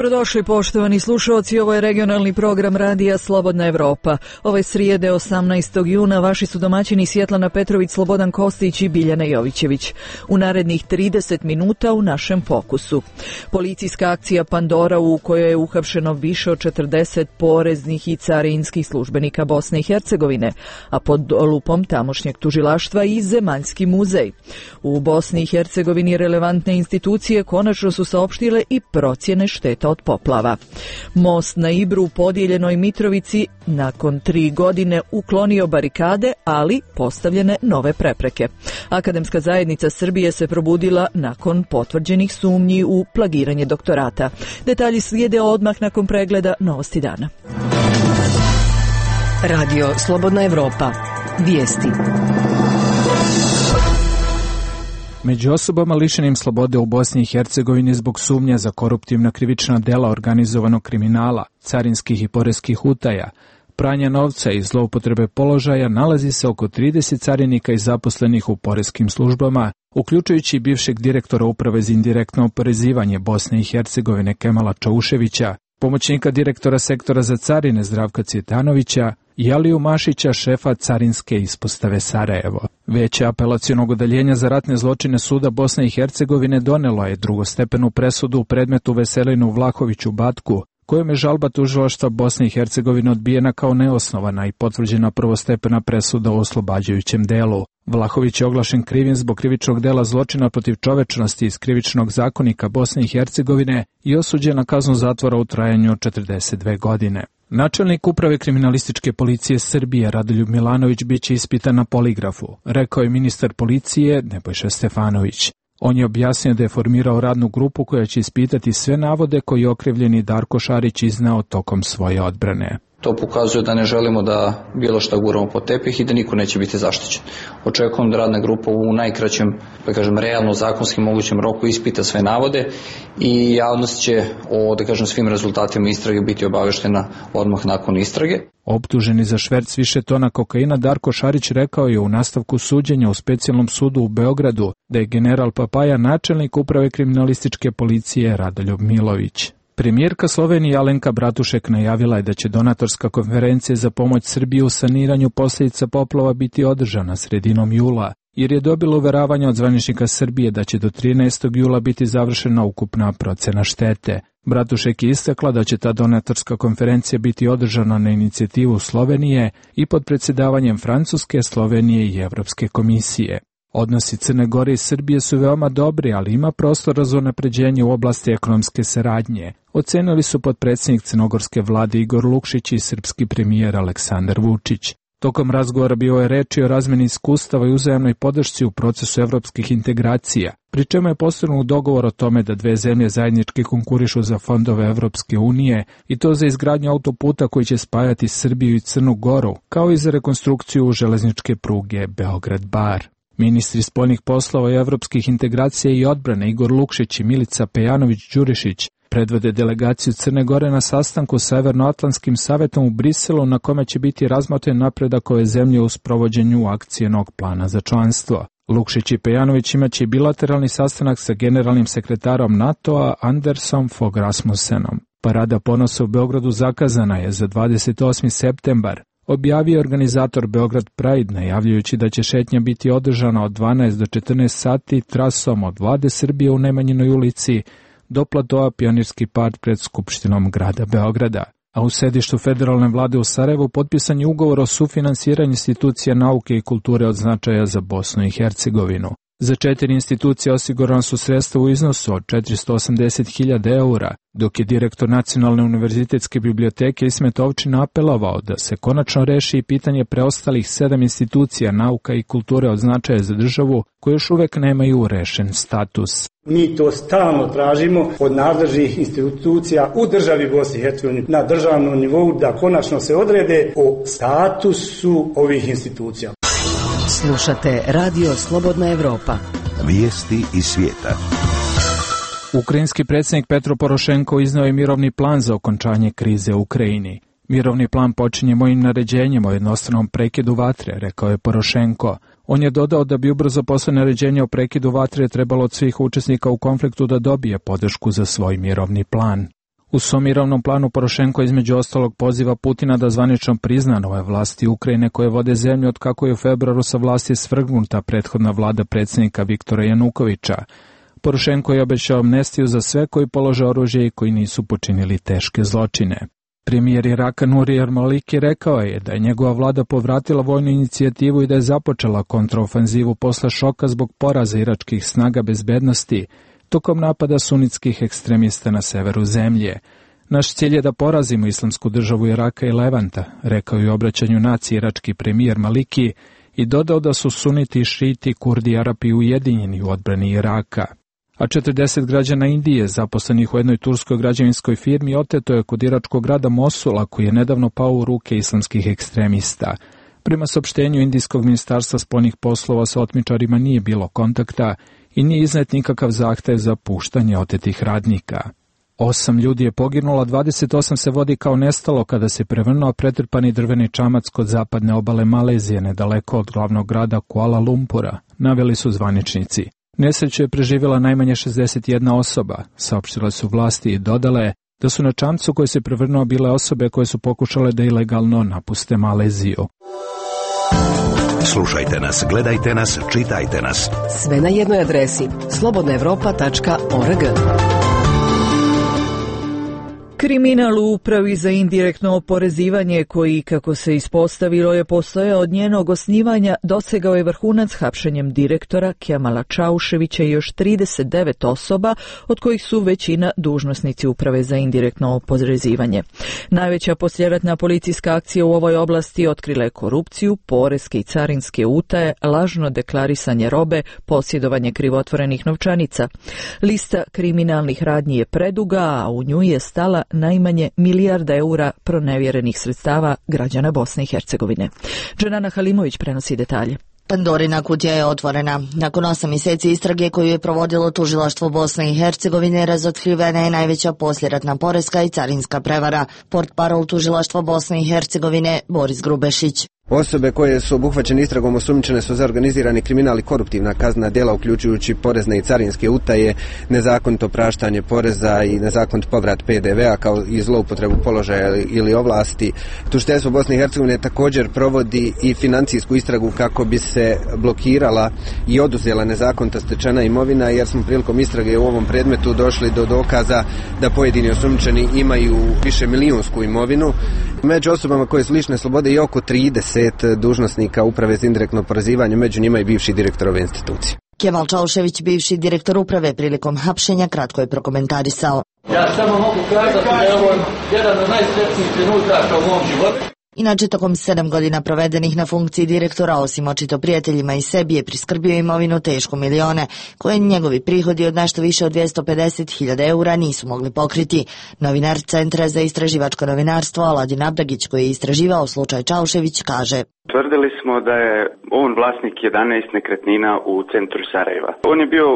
Dobrodošli poštovani slušalci, ovo je regionalni program Radija Slobodna Evropa. Ove srijede 18. juna vaši su domaćini Svjetlana Petrović, Slobodan Kostić i Biljana Jovićević. U narednih 30 minuta u našem fokusu. Policijska akcija Pandora u kojoj je uhapšeno više od 40 poreznih i carinskih službenika Bosne i Hercegovine, a pod lupom tamošnjeg tužilaštva i Zemaljski muzej. U Bosni i Hercegovini relevantne institucije konačno su saopštile i procjene šteta od poplava. Most na Ibru u podijeljenoj Mitrovici nakon 3 godine uklonio barikade, ali postavljene nove prepreke. Akademska zajednica Srbije se probudila nakon potvrđenih sumnji u plagiranje doktorata. Detalji slijede odmah nakon pregleda Novosti dana. Radio Slobodna Evropa. Vijesti. Među osobama lišenim slobode u Bosni i Hercegovini zbog sumnja za koruptivna krivična dela organizovanog kriminala, carinskih i poreskih utaja, pranja novca i zloupotrebe položaja nalazi se oko 30 carinika i zaposlenih u poreskim službama, uključujući i bivšeg direktora Uprave za indirektno oporezivanje Bosne i Hercegovine Kemala Čauševića, pomoćnika direktora sektora za carine Zdravka Cvjetanovića i Aliju Mašića, šefa carinske ispostave Sarajevo. Veće apelacionog odeljenja za ratne zločine Suda Bosne i Hercegovine donelo je drugostepenu presudu u predmetu Veselinu Vlahoviću Batku, kojom je žalba tužilaštva Bosne i Hercegovine odbijena kao neosnovana i potvrđena prvostepena presuda u oslobađajućem delu. Vlahović je oglašen krivim zbog krivičnog dela zločina protiv čovečnosti iz krivičnog zakonika Bosne i Hercegovine i osuđen na kaznu zatvora u trajanju od 42 godine. Načelnik Uprave kriminalističke policije Srbije Radoljub Milanović biće ispitan na poligrafu, rekao je ministar policije Nebojša Stefanović. On je objasnio da je formirao radnu grupu koja će ispitati sve navode koje je okrivljeni Darko Šarić izneo tokom svoje odbrane. To pokazuje da ne želimo da bilo šta guramo pod tepih i da niko neće biti zaštićen. Očekujem da radna grupa u najkraćem, realno zakonskim mogućem roku ispita sve navode i javnost će o, svim rezultatima istrage biti obaveštena odmah nakon istrage. Optuženi za šverc više tona kokaina Darko Šarić rekao je u nastavku suđenja u specijalnom sudu u Beogradu da je general Papaja načelnik Uprave kriminalističke policije Radoljub Milović. Premijerka Slovenije Alenka Bratušek najavila je da će donatorska konferencija za pomoć Srbiji u saniranju posljedica poplava biti održana sredinom jula, jer je dobila uveravanje od zvaničnika Srbije da će do 13. jula biti završena ukupna procena štete. Bratušek je istakla da će ta donatorska konferencija biti održana na inicijativu Slovenije i pod predsjedavanjem Francuske, Slovenije i Evropske komisije. Odnosi Crne Gore i Srbije su veoma dobri, ali ima prostora za unapređenje u oblasti ekonomske saradnje, ocenili su potpredsjednik crnogorske vlade Igor Lukšić i srpski premijer Aleksandar Vučić. Tokom razgovora bilo je reči o razmeni iskustava i uzajamnoj podršci u procesu evropskih integracija, pri čemu je postignut dogovor o tome da dve zemlje zajednički konkurišu za fondove Evropske unije i to za izgradnju autoputa koji će spajati Srbiju i Crnu Goru, kao i za rekonstrukciju železničke pruge Beograd-Bar. Ministri spoljnih poslova i evropskih integracija i odbrane Igor Lukšić i Milica Pejanović-Đurišić predvode delegaciju Crne Gore na sastanku sa Severnoatlantskim savetom u Briselu na kome će biti razmotren napredak ove zemlje u sprovođenju akcijnog plana za članstvo. Lukšić i Pejanović imaće bilateralni sastanak sa generalnim sekretarom NATO-a Andersom Fogh Rasmussenom. Parada ponosa u Beogradu zakazana je za 28. septembar. Objavio je organizator Beograd Pride, najavljujući da će šetnja biti održana od 12 do 14 sati trasom od Vlade Srbije u Nemanjinoj ulici do platoa Pionirski park pred Skupštinom grada Beograda. A u sedištu federalne vlade u Sarajevu potpisan je ugovor o sufinansiranju institucija nauke i kulture od značaja za Bosnu i Hercegovinu. Za 4 institucije osigurana su sredstva u iznosu od 480.000 eura, dok je direktor Nacionalne univerzitetske biblioteke Ismet Ovčin apelovao da se konačno reši i pitanje preostalih 7 institucija nauka i kulture od značaja za državu koje još uvek nemaju rešen status. Mi to stalno tražimo od nadležnih institucija u državi Bosne i Hercegovine na državnom nivou da konačno se odrede o statusu ovih institucija. Slušate Radio Slobodna Evropa. Vijesti iz svijeta. Ukrajinski predsjednik Petro Porošenko izneo je mirovni plan za okončanje krize u Ukrajini. Mirovni plan počinje mojim naređenjem o jednostranom prekidu vatre, rekao je Porošenko. On je dodao da bi ubrzo posle naređenja o prekidu vatre trebalo od svih učesnika u konfliktu da dobije podršku za svoj mirovni plan. U svom mirovnom planu Porošenko između ostalog poziva Putina da zvanično prizna nove vlasti Ukrajine koje vode zemlju od kako je u februaru sa vlasti svrgnuta prethodna vlada predsjednika Viktora Janukovića. Porošenko je obećao amnestiju za sve koji polože oružje i koji nisu počinili teške zločine. Premijer Iraka Nuri al-Maliki rekao je da je njegova vlada povratila vojnu inicijativu i da je započela kontraofenzivu posle šoka zbog poraza iračkih snaga bezbednosti tokom napada sunitskih ekstremista na severu zemlje. Naš cilj je da porazimo islamsku državu Iraka i Levanta, rekao je u obraćanju naciji irački premijer Maliki i dodao da su suniti, šiti, kurdi i Arapi ujedinjeni u odbrani Iraka. A 40 građana Indije, zaposlenih u jednoj turskoj građevinskoj firmi, oteto je kod iračkog grada Mosula, koji je nedavno pao u ruke islamskih ekstremista. Prema saopštenju Indijskog ministarstva spoljnih poslova sa otmičarima nije bilo kontakta i nije iznet nikakav zahtev za puštanje otetih radnika. 8 ljudi je poginulo, 28 se vodi kao nestalo kada se prevrnuo pretrpani drveni čamac kod zapadne obale Malezije, nedaleko od glavnog grada Kuala Lumpura, naveli su zvaničnici. Nesreću je preživjela najmanje 61 osoba, saopštile su vlasti i dodale da su na čamcu koji se prevrnuo bile osobe koje su pokušale da ilegalno napuste Maleziju. Slušajte nas, gledajte nas, čitajte nas. Sve na jednoj adresi slobodnaevropa.org. Kriminal u upravi za indirektno oporezivanje koji, kako se ispostavilo, je postojao od njenog osnivanja, dosegao je vrhunac hapšenjem direktora Kemala Čauševića i još 39 osoba, od kojih su većina dužnosnici uprave za indirektno oporezivanje. Najveća poslijeratna policijska akcija u ovoj oblasti otkrila je korupciju, poreske i carinske utaje, lažno deklarisanje robe, posjedovanje krivotvorenih novčanica. Lista kriminalnih radnji je preduga, a u nju je stala najmanje milijarda eura pronevjerenih sredstava građana Bosne i Hercegovine. Dženana Halimović prenosi detalje. Pandorina kutija je otvorena. Nakon 8 mjeseci istrage koju je provodilo tužilaštvo Bosne i Hercegovine, razotkrivena je najveća poslijeratna poreska i carinska prevara. Portparol tužilaštva Bosne i Hercegovine Boris Grubešić. Osobe koje su obuhvaćene istragom osumnjičene su za organizirani kriminal i koruptivna kaznena djela, uključujući porezne i carinske utaje, nezakonito praštanje poreza i nezakonit povrat PDV-a kao i zloupotrebu položaja ili ovlasti. Tužiteljstvo Bosne i Hercegovine također provodi i financijsku istragu kako bi se blokirala i oduzela nezakonito stečena imovina, jer smo prilikom istrage u ovom predmetu došli do dokaza da pojedini osumnjičeni imaju više milijunsku imovinu. Među osobama koje su lišene slobode i oko 30 dužnosnika uprave za indirektno oporezivanje, među njima i bivši direktor ove institucije. Kemal Čaušević, bivši direktor uprave, prilikom hapšenja kratko je prokomentarisao. Ja samo mogu kazati da je ovo jedan od najsretnijih trenutaka u mom životu. Inače, tokom 7 godina provedenih na funkciji direktora, osim očito prijateljima i sebi, je priskrbio imovinu tešku milione, koje njegovi prihodi od nešto više od 250.000 eura nisu mogli pokriti. Novinar Centra za istraživačko novinarstvo Aladin Abdagić, koji je istraživao slučaj Čaušević, kaže: Tvrdili smo da je on vlasnik 11 nekretnina u centru Sarajeva. On je bio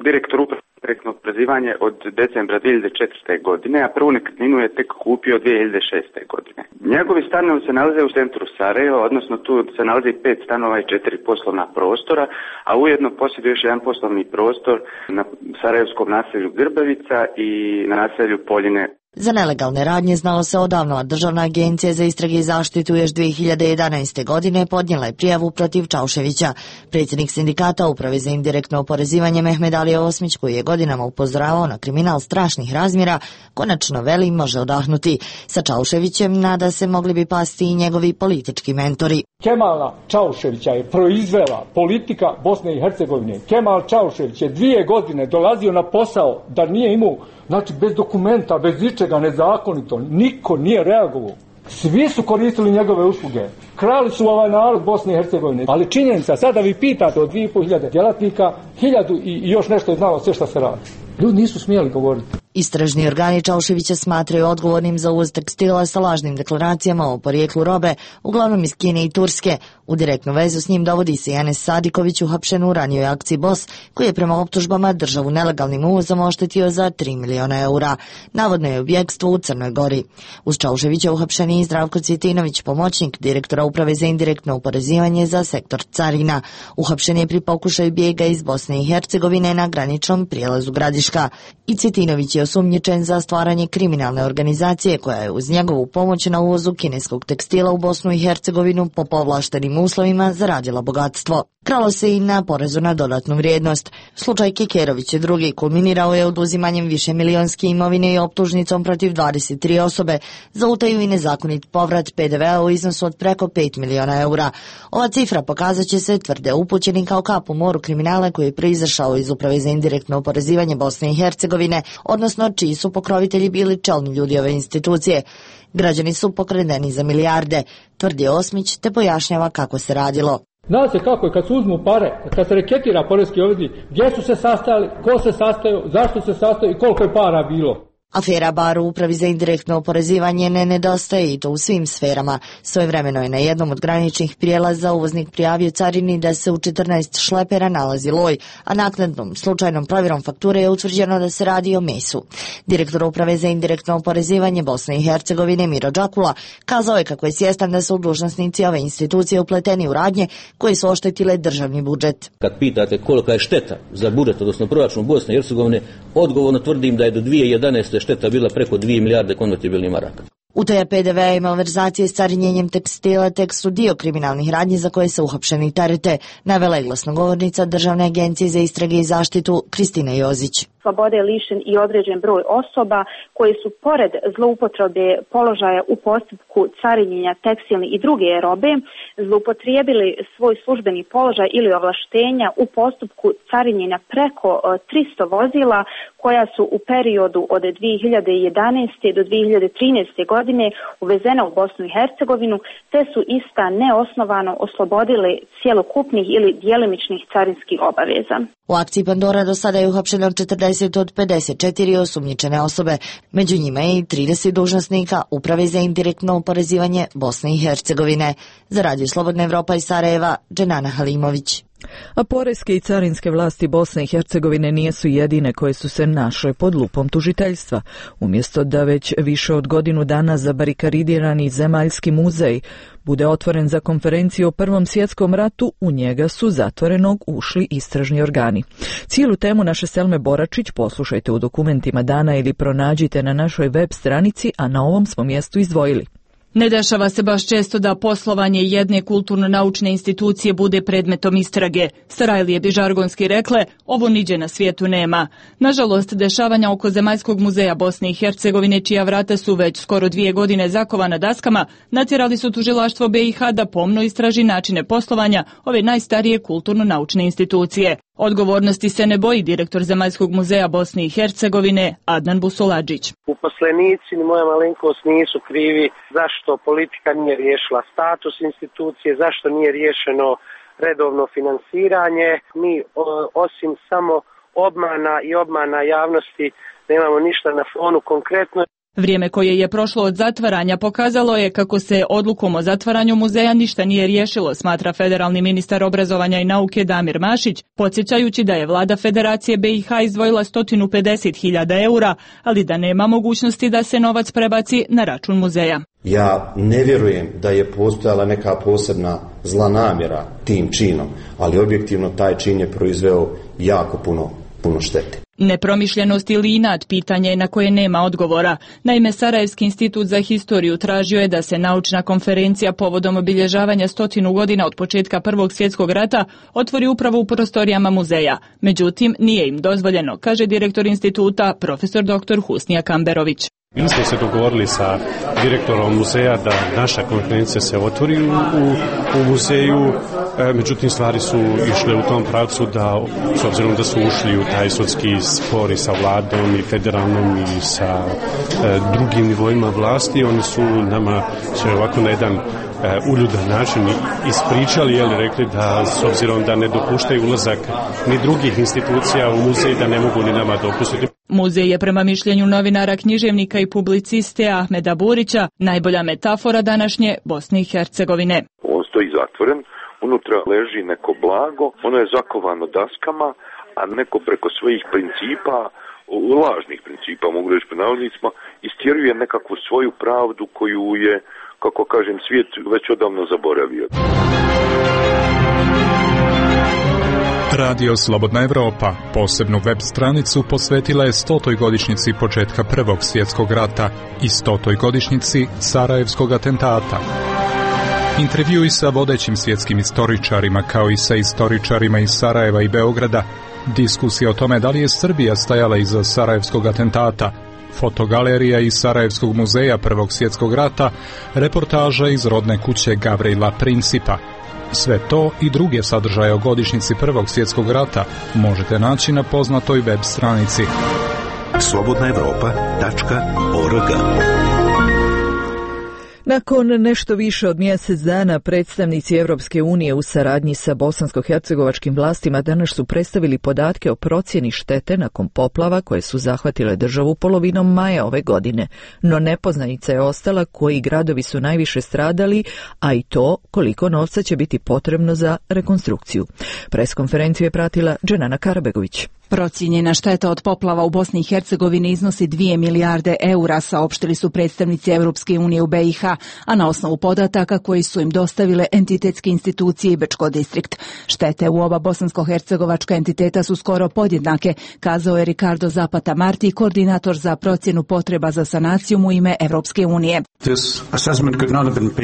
direktor uprave direktno oporezivanje od decembra 2004. godine, a prvu nekretninu je tek kupio 2006. godine. Njegovi stanovi se nalaze u centru Sarajeva, odnosno tu se nalazi 5 stanova i 4 poslovna prostora, a ujedno posjeduje još jedan poslovni prostor na sarajevskom naselju Grbavica i na naselju Poljine. Za nelegalne radnje znalo se odavno, a Državna agencija za istrage i zaštitu još 2011. godine podnijela je prijavu protiv Čauševića. Predsjednik sindikata uprave za indirektno oporezivanje Mehmed Ali Osmić, koji je godinama upozoravao na kriminal strašnih razmjera, konačno veli može odahnuti. Sa Čauševićem, nada se, mogli bi pasti i njegovi politički mentori. Kemala Čauševića je proizvela politika Bosne i Hercegovine. Kemal Čaušević je 2 godine dolazio na posao da nije imao, znači bez dokumenta, bez ničega, nezakonito. Niko nije reagovao. Svi su koristili njegove usluge. Krali su ovaj narod Bosne i Hercegovine. Ali činjenica, sada vi pitate od 2.500 djelatnika, 1000 i još nešto je znalo sve što se radi. Ljudi nisu smjeli govoriti. Istražni organi Čauševića smatraju odgovornim za uvoz tekstila sa lažnim deklaracijama o porijeklu robe, uglavnom iz Kine i Turske. U direktnu vezu s njim dovodi se Enes Sadiković, uhapšen u ranijoj akciji BOS, koji je prema optužbama državu nelegalnim uvozom oštetio za 3 miliona eura. Navodno je u bjegstvu u Crnoj Gori. Uz Čauševića uhapšen je i Zdravko Cvjetinović, pomoćnik direktora uprave za indirektno oporezivanje za sektor carina. Uhapšen je pri pokušaju bijega iz Bosne i Hercegovine na graničnom prijelazu Gradiška. I Cvjetinović je osumnjičen za stvaranje kriminalne organizacije koja je uz njegovu pomoć na uvozu kineskog tekstila u Bosnu i Hercegovinu po povlaštenim uslovima zaradila bogatstvo. Kralo se i na porezu na dodatnu vrijednost. Slučaj Kekerović II kulminirao je oduzimanjem višemilionske imovine i optužnicom protiv 23 osobe za utaju i nezakonit povrat PDV-a u iznosu od preko 5 miliona eura. Ova cifra pokazat će se, tvrde upućeni, kao kap u moru kriminala koji je proizašao iz Uprave za indirektno oporezivanje Bosne i Hercegovine, odnosno čiji su pokrovitelji bili čelni ljudi ove institucije. Građani su pokradeni za milijarde, tvrdi Osmić, te pojašnjava kako se radilo. Zna se kako je kad se uzmu pare, kad se reketira poreski obveznik, gdje su se sastajali, ko se sastajao, zašto se sastajao i koliko je para bilo. Afera bar u Upravi za indirektno oporezivanje ne nedostaje i to u svim sferama. Svojevremeno je na jednom od graničnih prijelaza uvoznik prijavio carini da se u 14 šlepera nalazi loj, a naknadnom slučajnom provjerom fakture je utvrđeno da se radi o mesu. Direktor Uprave za indirektno oporezivanje Bosne i Hercegovine Miro Đakula kazao je kako je svjestan da su dužnosnici ove institucije upleteni u radnje koje su oštetile državni budžet. Kad pitate kolika je šteta za budžet, odnosno proračun Bosne i Hercegovine, odgovorno tvrdim da je do 2011. šteta bila preko 2 milijarde konvertibilnih maraka. Utaja PDV-a i malverzacije s carinjenjem tekstila tek su dio kriminalnih radnji za koje se uhapšeni terete, navela je glasnogovornica Državne agencije za istrage i zaštitu Kristina Jozić. Slobode je lišen i određen broj osoba koji su pored zloupotrebe položaja u postupku carinjenja tekstilne i druge robe zloupotrijebili svoj službeni položaj ili ovlaštenja u postupku carinjenja preko 300 vozila koja su u periodu od 2011. do 2013. godine uvezena u Bosnu i Hercegovinu, te su ista neosnovano oslobodili cjelokupnih ili djelimičnih carinskih obaveza. U akciji Pandora do sada je uhapšeno 40 od 54 osumnjičene osobe, među njima je i 30 dužnosnika Uprave za indirektno oporezivanje Bosne i Hercegovine. Za Radio Slobodna Evropa iz Sarajeva, Dženana Halimović. A poreske i carinske vlasti Bosne i Hercegovine nisu jedine koje su se našle pod lupom tužiteljstva. Umjesto da već više od godinu dana zabarikadirani zemaljski muzej bude otvoren za konferenciju o Prvom svjetskom ratu, u njega su zatvorenog ušli istražni organi. Cijelu temu naše Selme Boračić poslušajte u dokumentima dana ili pronađite na našoj web stranici, a na ovom smo mjestu izdvojili. Ne dešava se baš često da poslovanje jedne kulturno-naučne institucije bude predmetom istrage. Starajlije bi žargonski rekle, ovo niđe na svijetu nema. Nažalost, dešavanja oko Zemaljskog muzeja Bosne i Hercegovine, čija vrata su već skoro 2 godine zakovana daskama, natjerali su tužilaštvo BiH da pomno istraži načine poslovanja ove najstarije kulturno-naučne institucije. Odgovornosti se ne boji direktor Zemaljskog muzeja Bosne i Hercegovine Adnan Busoladžić. Uposlenici ni moja malenkost nisu krivi zašto politika nije riješila status institucije, zašto nije riješeno redovno finansiranje. Mi osim samo obmana i obmana javnosti nemamo ništa na fonu konkretno. Vrijeme koje je prošlo od zatvaranja pokazalo je kako se odlukom o zatvaranju muzeja ništa nije riješilo, smatra federalni ministar obrazovanja i nauke Damir Mašić, podsjećajući da je vlada Federacije BiH izdvojila 150.000 eura, ali da nema mogućnosti da se novac prebaci na račun muzeja. Ja ne vjerujem da je postojala neka posebna zla namjera tim činom, ali objektivno taj čin je proizveo jako puno štete. Nepromišljenost ili inat pitanje na koje nema odgovora. Naime, Sarajevski institut za historiju tražio je da se naučna konferencija povodom obilježavanja 100 godina od početka Prvog svjetskog rata otvori upravo u prostorijama muzeja. Međutim, nije im dozvoljeno, kaže direktor instituta, profesor dr. Husnija Kamberović. Mi smo se dogovorili sa direktorom muzeja da naša konferencija se otvori u muzeju, međutim stvari su išle u tom pravcu da, s obzirom da su ušli u taj sudski spor i sa vladom i federalnom i sa drugim nivoima vlasti, oni su nama sve ovako na jedan uljudan način ispričali, rekli da s obzirom da ne dopuštaju ulazak ni drugih institucija u muzej, da ne mogu ni nama dopustiti. Muzej je prema mišljenju novinara, književnika i publiciste Ahmeda Burića najbolja metafora današnje Bosne i Hercegovine. On stoji zatvoren, unutra leži neko blago, ono je zakovano daskama, a neko preko svojih principa, lažnih principa, mogu reći po navodnicima, istjeruje nekakvu svoju pravdu koju je, kako kažem, svijet već odavno zaboravio. Radio Slobodna Evropa posebnu web stranicu posvetila je 100. godišnjici početka Prvog svjetskog rata i 100. godišnjici Sarajevskog atentata. Intervjui sa vodećim svjetskim istoričarima kao i sa istoričarima iz Sarajeva i Beograda, diskusija o tome da li je Srbija stajala iza Sarajevskog atentata, fotogalerija iz Sarajevskog muzeja Prvog svjetskog rata, reportaža iz rodne kuće Gavrila Principa. Sve to i druge sadržaje o godišnjici Prvog svjetskog rata možete naći na poznatoj web stranici slobodnaevropa.org. Nakon nešto više od mjesec dana predstavnici Europske unije u saradnji sa bosansko-hercegovačkim vlastima danas su predstavili podatke o procjeni štete nakon poplava koje su zahvatile državu polovinom maja ove godine. No nepoznanica je ostala koji gradovi su najviše stradali, a i to koliko novca će biti potrebno za rekonstrukciju. Preskonferenciju je pratila Dženana Karabegović. Procijenjena šteta od poplava u Bosni i Hercegovini iznosi 2 milijarde eura, saopštili su predstavnici Europske unije u BiH, a na osnovu podataka koji su im dostavile entitetske institucije i Bečko distrikt. Štete u oba bosansko-hercegovačka entiteta su skoro podjednake, kazao je Ricardo Zapata Marti, koordinator za procjenu potreba za sanaciju u ime Europske unije.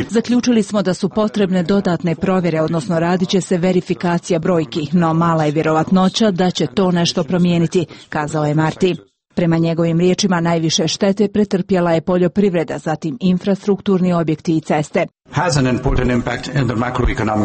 Zaključili smo da su potrebne dodatne provjere, odnosno radit će se verifikacija brojki, no mala je vjerovatnoća da će to nešto promijeniti, kazao je Marti. Prema njegovim riječima najviše štete pretrpjela je poljoprivreda, zatim infrastrukturni objekti i ceste.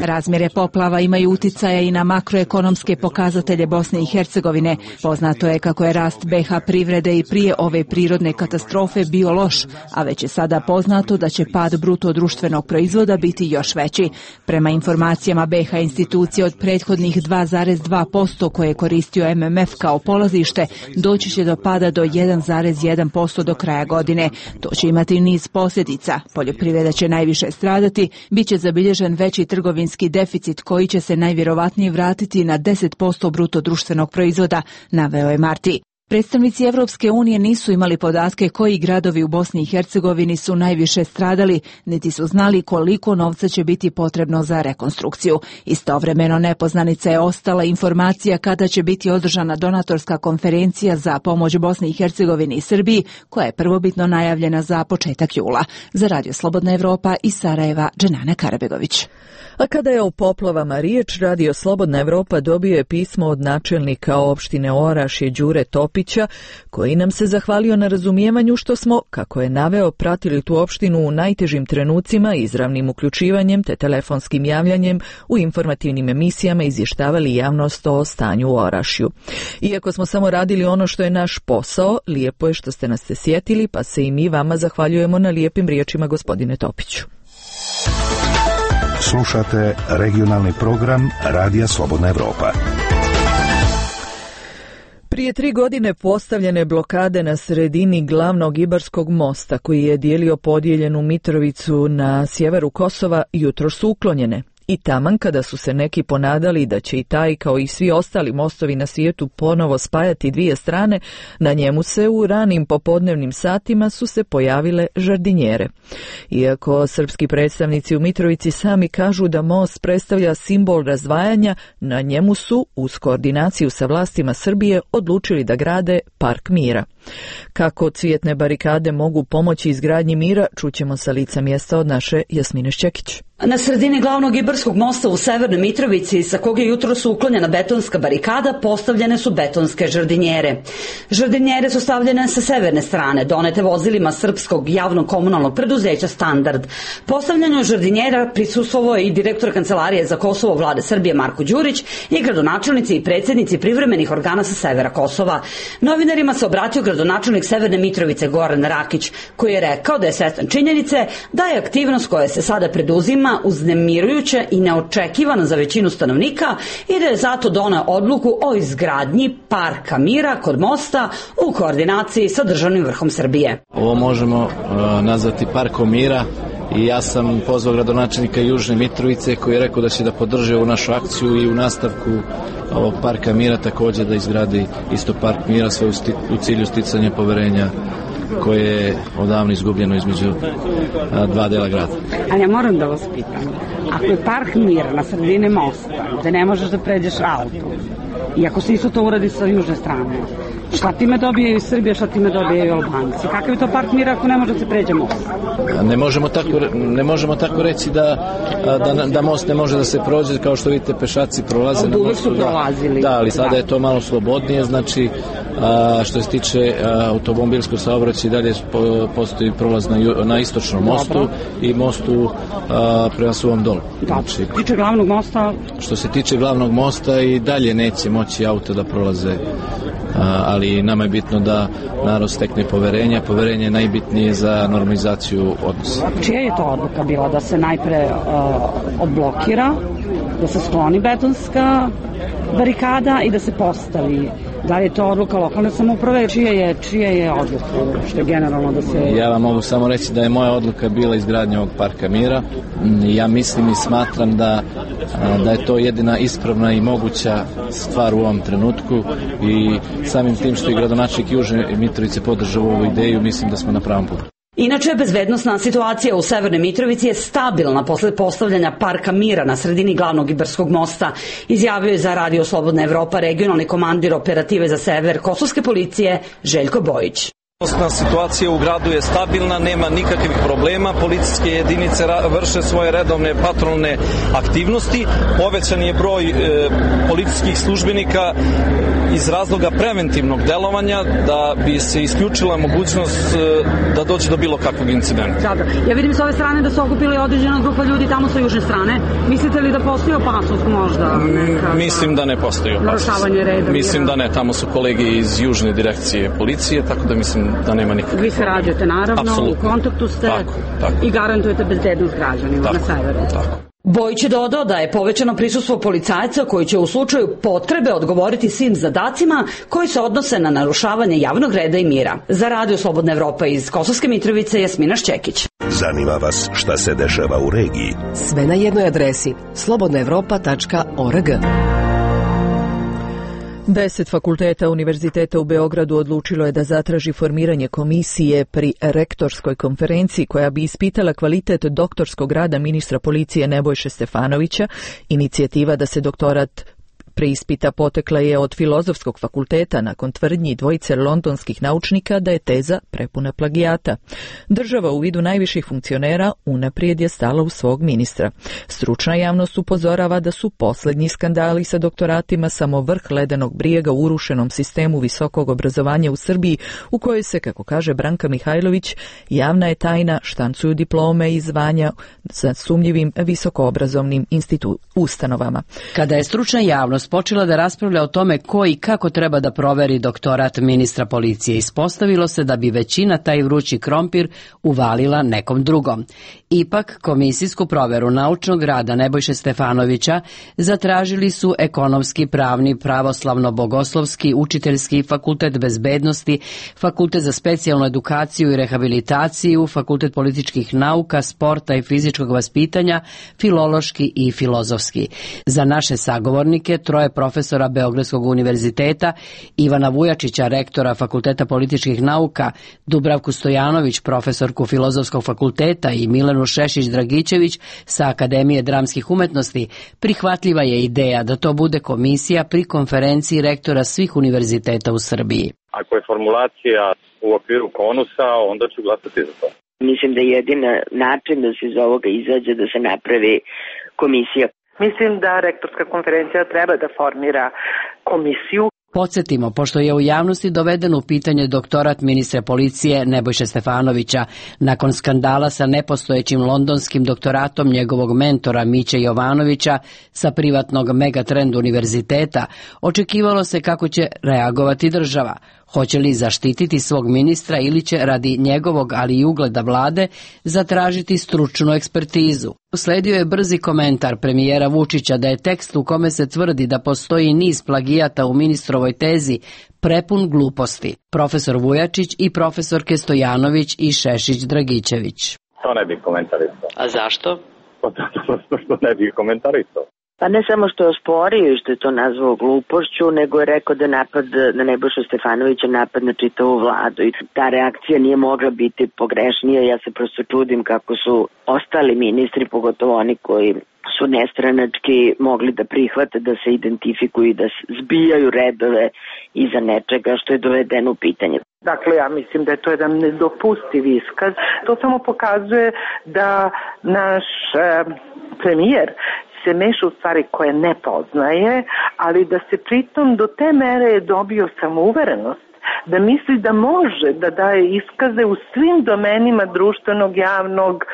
Razmjere poplava imaju uticaja i na makroekonomske pokazatelje Bosne i Hercegovine. Poznato je kako je rast BiH privrede i prije ove prirodne katastrofe bio loš, a već je sada poznato da će pad bruto društvenog proizvoda biti još veći. Prema informacijama BiH institucije od prethodnih 2,2% koje je koristio MMF kao polazište, doći će do pada do 1,1% do kraja godine. To će imati niz posljedica. Poljoprivreda će najviše stradati, bit će zabilježen veći trgovinski deficit koji će se najvjerovatnije vratiti na 10% bruto društvenog proizvoda, naveo je Marti. Predstavnici Europske unije nisu imali podatke koji gradovi u Bosni i Hercegovini su najviše stradali, niti su znali koliko novca će biti potrebno za rekonstrukciju. Istovremeno nepoznanica je ostala informacija kada će biti održana donatorska konferencija za pomoć Bosni i Hercegovini i Srbiji, koja je prvobitno najavljena za početak jula. Za Radio Slobodna Evropa iz Sarajeva, Dženana Karabegović. A kada je o poplavama riječ, Radio Slobodna Evropa dobio je pismo od načelnika opštine Orašje Đure Topića, koji nam se zahvalio na razumijevanju što smo, kako je naveo, pratili tu opštinu u najtežim trenucima, izravnim uključivanjem te telefonskim javljanjem u informativnim emisijama izvještavali javnost o stanju u Orašju. Iako smo samo radili ono što je naš posao, lijepo je što ste nas se sjetili, pa se i mi vama zahvaljujemo na lijepim riječima, gospodine Topiću. Slušate regionalni program Radija Slobodna Evropa. Prije 3 godine postavljene blokade na sredini glavnog Ibarskog mosta, koji je dijelio podijeljenu Mitrovicu na sjeveru Kosova, jutros su uklonjene. I taman kada su se neki ponadali da će i taj kao i svi ostali mostovi na svijetu ponovo spajati dvije strane, na njemu se u ranim popodnevnim satima su se pojavile žardinjere. Iako srpski predstavnici u Mitrovici sami kažu da most predstavlja simbol razdvajanja, na njemu su, uz koordinaciju sa vlastima Srbije, odlučili da grade Park mira. Kako cvjetne barikade mogu pomoći izgradnji mira, čućemo sa lica mjesta od naše Jasmine Šćekić. Na sredini glavnog Ibarskog mosta u Severnoj Mitrovici, sa koga je jutros uklonjena betonska barikada, postavljene su betonske žardinjere. Žardinjere su stavljene sa severne strane, donete vozilima srpskog javnog komunalnog preduzeća Standard. Postavljanju žardinjera prisustvovao je i direktor Kancelarije za Kosovo Vlade Srbije Marko Đurić i gradonačelnici i predsjednici privremenih organa sa severa Kosova. Novinarima se obratio gradonačelnik Severne Mitrovice Goran Rakić, koji je rekao da je svjestan činjenice da je aktivnost koja se sada preduzima uznemirujuća i neočekivana za većinu stanovnika i da je zato doneo odluku o izgradnji Parka mira kod mosta u koordinaciji sa državnim vrhom Srbije. Ovo možemo nazvati Parkom mira i ja sam pozvao gradonačelnika Južne Mitrovice koji je rekao da će da podrži ovu našu akciju i u nastavku ovog Parka mira također da izgradi isto Park mira sve u cilju sticanja poverenja koje je odavno izgubljeno između dva dela grada. Ali ja moram da vas pitam, ako je park Mira na sredini mosta, gde ne možeš da pređeš auto, i ako se isto to uradi sa južne strane, šta time dobijaju Srbija, šta time dobijaju Albanci? Kakav je to park Mira ako ne može da se pređe most? Ne možemo tako reći da most ne može da se prođe, kao što vidite pešaci prolaze na mostu. Uvijek su prolazili. Da, ali sada je to malo slobodnije, znači što se tiče automobilskog saobraćaja dalje postoji prolaz na istočnom mostu i mostu prema Suvom Dolu. Znači, što se tiče glavnog mosta i dalje neće moći auto da prolaze, ali nama je bitno da narod stekne poverenje. Poverenje je najbitnije za normalizaciju odnosa. Čija je to odluka bila da se najpre odblokira, da se skloni betonska barikada i da se postavi? Da li je to odluka lokalne samouprave? Čija je odluka? Što je generalno da se... Ja vam mogu samo reći da je moja odluka bila izgradnja ovog parka Mira. Ja mislim i smatram da je to jedina ispravna i moguća stvar u ovom trenutku i samim tim što je gradonačelnik Južne Mitrovice podržao ovu ideju, mislim da smo na pravom putu. Inače, bezbednosna situacija u Severnoj Mitrovici je stabilna posle postavljanja parka Mira na sredini glavnog Ibarskog mosta, izjavio je za Radio Slobodna Evropa regionalni komandir operative za sever kosovske policije Željko Bojić. Situacija u gradu je stabilna, nema nikakvih problema, policijske jedinice vrše svoje redovne patrolne aktivnosti, povećan je broj policijskih službenika iz razloga preventivnog delovanja da bi se isključila mogućnost da dođe do bilo kakvog incidenta. Ja vidim s ove strane da su okupili određena grupa ljudi tamo sa južne strane. Mislite li da postoji opasnost možda? Mislim da ne postoji opasnost. Narušavanje reda? Mislim da ne, tamo su kolege iz južne direkcije policije, tako da mislim da nema nikakve. Vi sarađujete naravno, Absolutno. U kontaktu ste tako. I garantujete bezbednost građanima na severu. Tako. Bojić je dodao da je povećano prisustvo policajaca koji će u slučaju potrebe odgovoriti svim zadacima koji se odnose na narušavanje javnog reda i mira. Za Radio Slobodna Evropa iz Kosovske Mitrovice, Jasmina Šćekić. Zanima vas šta se dešava u regiji? Sve na jednoj adresi slobodnaevropa.org. 10 fakulteta Univerziteta u Beogradu odlučilo je da zatraži formiranje komisije pri rektorskoj konferenciji koja bi ispitala kvalitet doktorskog rada ministra policije Nebojše Stefanovića. Inicijativa da se doktorat preispita potekla je od Filozofskog fakulteta nakon tvrdnji dvojice londonskih naučnika da je teza prepuna plagijata. Država u vidu najviših funkcionera unaprijed je stala u svog ministra. Stručna javnost upozorava da su posljednji skandali sa doktoratima samo vrh ledenog brijega u urušenom sistemu visokog obrazovanja u Srbiji, u kojoj se, kako kaže Branka Mihajlović, javna je tajna štancuju diplome i zvanja sa sumnjivim visokoobrazovnim ustanovama. Kada je stručna javnost počela da raspravlja o tome ko i kako treba da proveri doktorat ministra policije, ispostavilo se da bi većina taj vrući krompir uvalila nekom drugom. Ipak, komisijsku proveru naučnog rada Nebojše Stefanovića zatražili su Ekonomski, Pravni, Pravoslavno-Bogoslovski, Učiteljski, Fakultet bezbednosti, Fakultet za specijalnu edukaciju i rehabilitaciju, Fakultet političkih nauka, sporta i fizičkog vaspitanja, Filološki i Filozofski. Za naše sagovornike, troje profesora Beogradskog univerziteta, Ivana Vujačića, rektora Fakulteta političkih nauka, Dubravku Stojanović, profesorku Filozofskog fakulteta i Milenu Šešić-Dragićević sa Akademije dramskih umetnosti, prihvatljiva je ideja da to bude komisija pri konferenciji rektora svih univerziteta u Srbiji. Ako je formulacija u okviru konusa, onda ću glasati za to. Mislim da je jedin način da se iz ovoga izađe da se napravi komisija. Mislim da rektorska konferencija treba da formira komisiju. Podsjetimo, pošto je u javnosti doveden u pitanje doktorat ministra policije Nebojše Stefanovića, nakon skandala sa nepostojećim londonskim doktoratom njegovog mentora Miće Jovanovića sa privatnog Megatrend univerziteta, očekivalo se kako će reagovati država. Hoće li zaštititi svog ministra ili će radi njegovog, ali i ugleda vlade, zatražiti stručnu ekspertizu. Usledio je brzi komentar premijera Vučića da je tekst u kome se tvrdi da postoji niz plagijata u ministrovoj tezi prepun gluposti. Profesor Vujačić i profesorke Stojanović i Šešić-Dragićević. To ne bih komentarisao. A zašto? Što ne bih komentarisao. Pa ne samo što je osporio i što je to nazvao glupošću, nego je rekao da napad na Nebojšu Stefanovića napad na čitavu vladu i ta reakcija nije mogla biti pogrešnija. Ja se prosto čudim kako su ostali ministri, pogotovo oni koji su nestranački, mogli da prihvate, da se identifikuju i da zbijaju redove iza nečega što je dovedeno u pitanje. Dakle, ja mislim da je to jedan nedopustiv iskaz. To samo pokazuje da naš premijer se meša u stvari koje ne poznaje, ali da se pritom do te mere je dobio samouverenost, da misli da može da daje iskaze u svim domenima društvenog javnog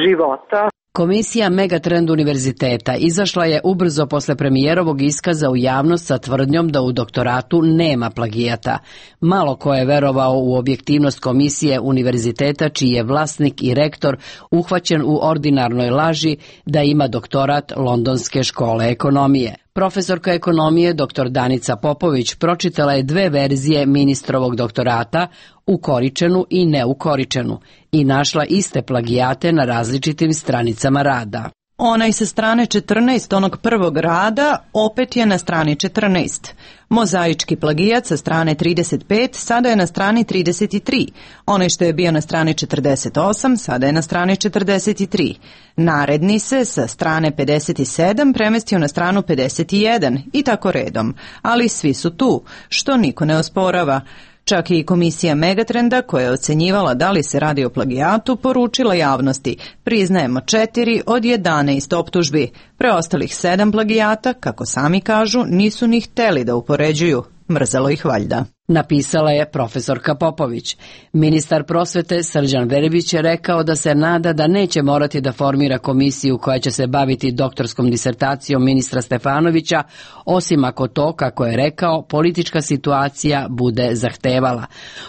života. Komisija Megatrend univerziteta izašla je ubrzo posle premijerovog iskaza u javnost sa tvrdnjom da u doktoratu nema plagijata. Malo ko je verovao u objektivnost komisije univerziteta čiji je vlasnik i rektor uhvaćen u ordinarnoj laži da ima doktorat Londonske škole ekonomije. Profesorka ekonomije dr. Danica Popović pročitala je 2 verzije ministrovog doktorata, ukoričenu i neukoričenu, i našla iste plagijate na različitim stranicama rada. Onaj sa strane 14 onog prvog rada opet je na strani 14. Mozaički plagijat sa strane 35 sada je na strani 33. Onaj što je bio na strani 48 sada je na strani 43. Naredni se sa strane 57 premestio na stranu 51 i tako redom. Ali svi su tu, što niko ne osporava. Čak i komisija Megatrenda, koja je ocenjivala da li se radi o plagijatu, poručila javnosti: priznajemo 4 od 11 optužbi. Preostalih 7 plagijata, kako sami kažu, nisu ni hteli da upoređuju. Mrzelo ih valjda. Napisala je profesorka Popović. Ministar prosvete Srđan Verbić je rekao da se nada da neće morati da formira komisiju koja će se baviti doktorskom disertacijom ministra Stefanovića, osim ako to, kako je rekao, politička situacija bude zahtevala.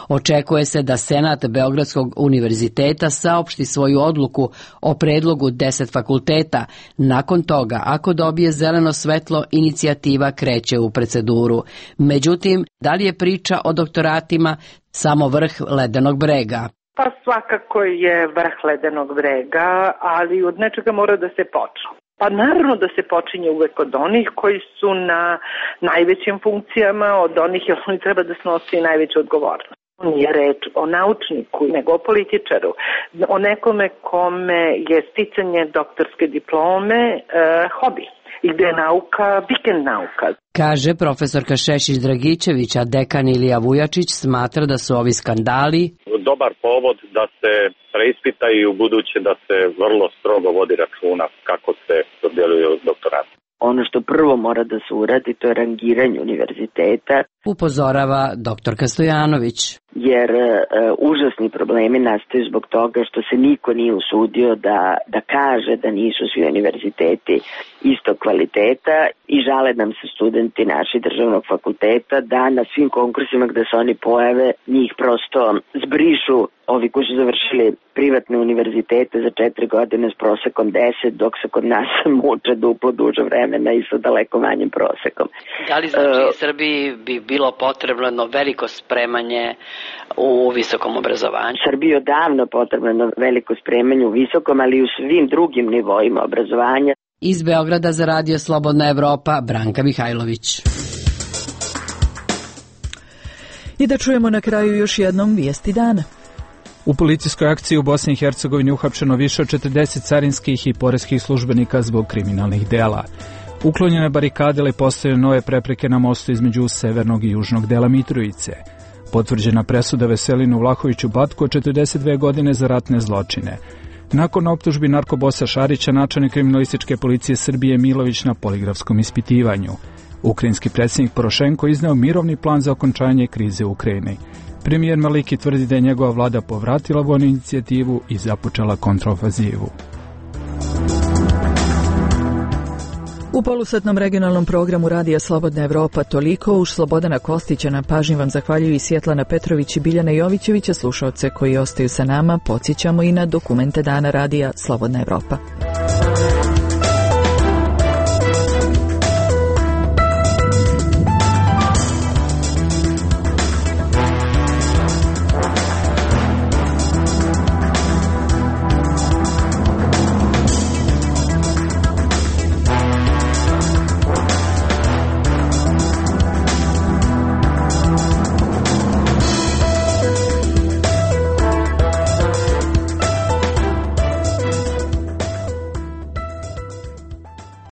Očekuje se da Senat Beogradskog univerziteta saopšti svoju odluku o predlogu 10 fakulteta. Nakon toga, ako dobije zeleno svetlo, inicijativa kreće u proceduru. Međutim, da li je priča o doktoratima samo vrh ledenog brega? Pa svakako je vrh ledenog brega, ali od nečega mora da se počne. Pa naravno da se počinje uvek od onih koji su na najvećim funkcijama, od onih jer oni treba da snosi najveću odgovornost. Nije reč o naučniku, nego o političaru, o nekome kome je sticanje doktorske diplome hobi i gde je nauka vikend nauka. Kaže profesorka Šešić-Dragičević, a dekan Ilija Vujačić smatra da su ovi skandali dobar povod da se preispita i u buduće da se vrlo strogo vodi računa kako se dodjeljuje doktorat. Ono što prvo mora da se uradi, to je rangiranje univerziteta. Upozorava doktorka Stojanović. Jer užasni problemi nastaju zbog toga što se niko nije usudio da kaže da nisu svi univerziteti istog kvaliteta i žale nam se studenti naši državnog fakulteta da na svim konkursima gde se oni pojave njih prosto zbrišu ovi koji su završili privatne univerzitete za 4 godine s prosekom 10, dok se kod nas muče duplo duže vremena i sa daleko manjim prosekom. Da li znači Srbiji bi bilo potrebno jedno veliko spremanje u visokom obrazovanju? Srbiji je odavno potrebno jedno veliko spremanje u visokom, ali i u svim drugim nivoima obrazovanja. Iz Beograda za Radio Slobodna Evropa, Branka Mihajlović. I da čujemo na kraju još jednom vijesti dana. U policijskoj akciji u Bosni i Hercegovini uhapšeno više od 40 carinskih i poreskih službenika zbog kriminalnih dela. Uklonjene barikade ili postavljene nove prepreke na mostu između severnog i južnog dela Mitrovice. Potvrđena presuda Veselinu Vlahoviću Batku od 42 godine za ratne zločine. Nakon optužbi narkobosa Šarića, načelnik kriminalističke policije Srbije Milović na poligrafskom ispitivanju. Ukrajinski predsjednik Porošenko izneo mirovni plan za okončanje krize u Ukrajini. Premijer Maliki tvrdi da je njegova vlada povratila vojnu inicijativu i započela kontraofazivu. U polusatnom regionalnom programu Radija Slobodna Evropa toliko. Uz Slobodana Kostića na pažnji vam zahvaljuju i Svjetlana Petrović i Biljana Jovićevića. Slušaoce koji ostaju sa nama podsjećamo i na dokumente dana Radija Slobodna Evropa.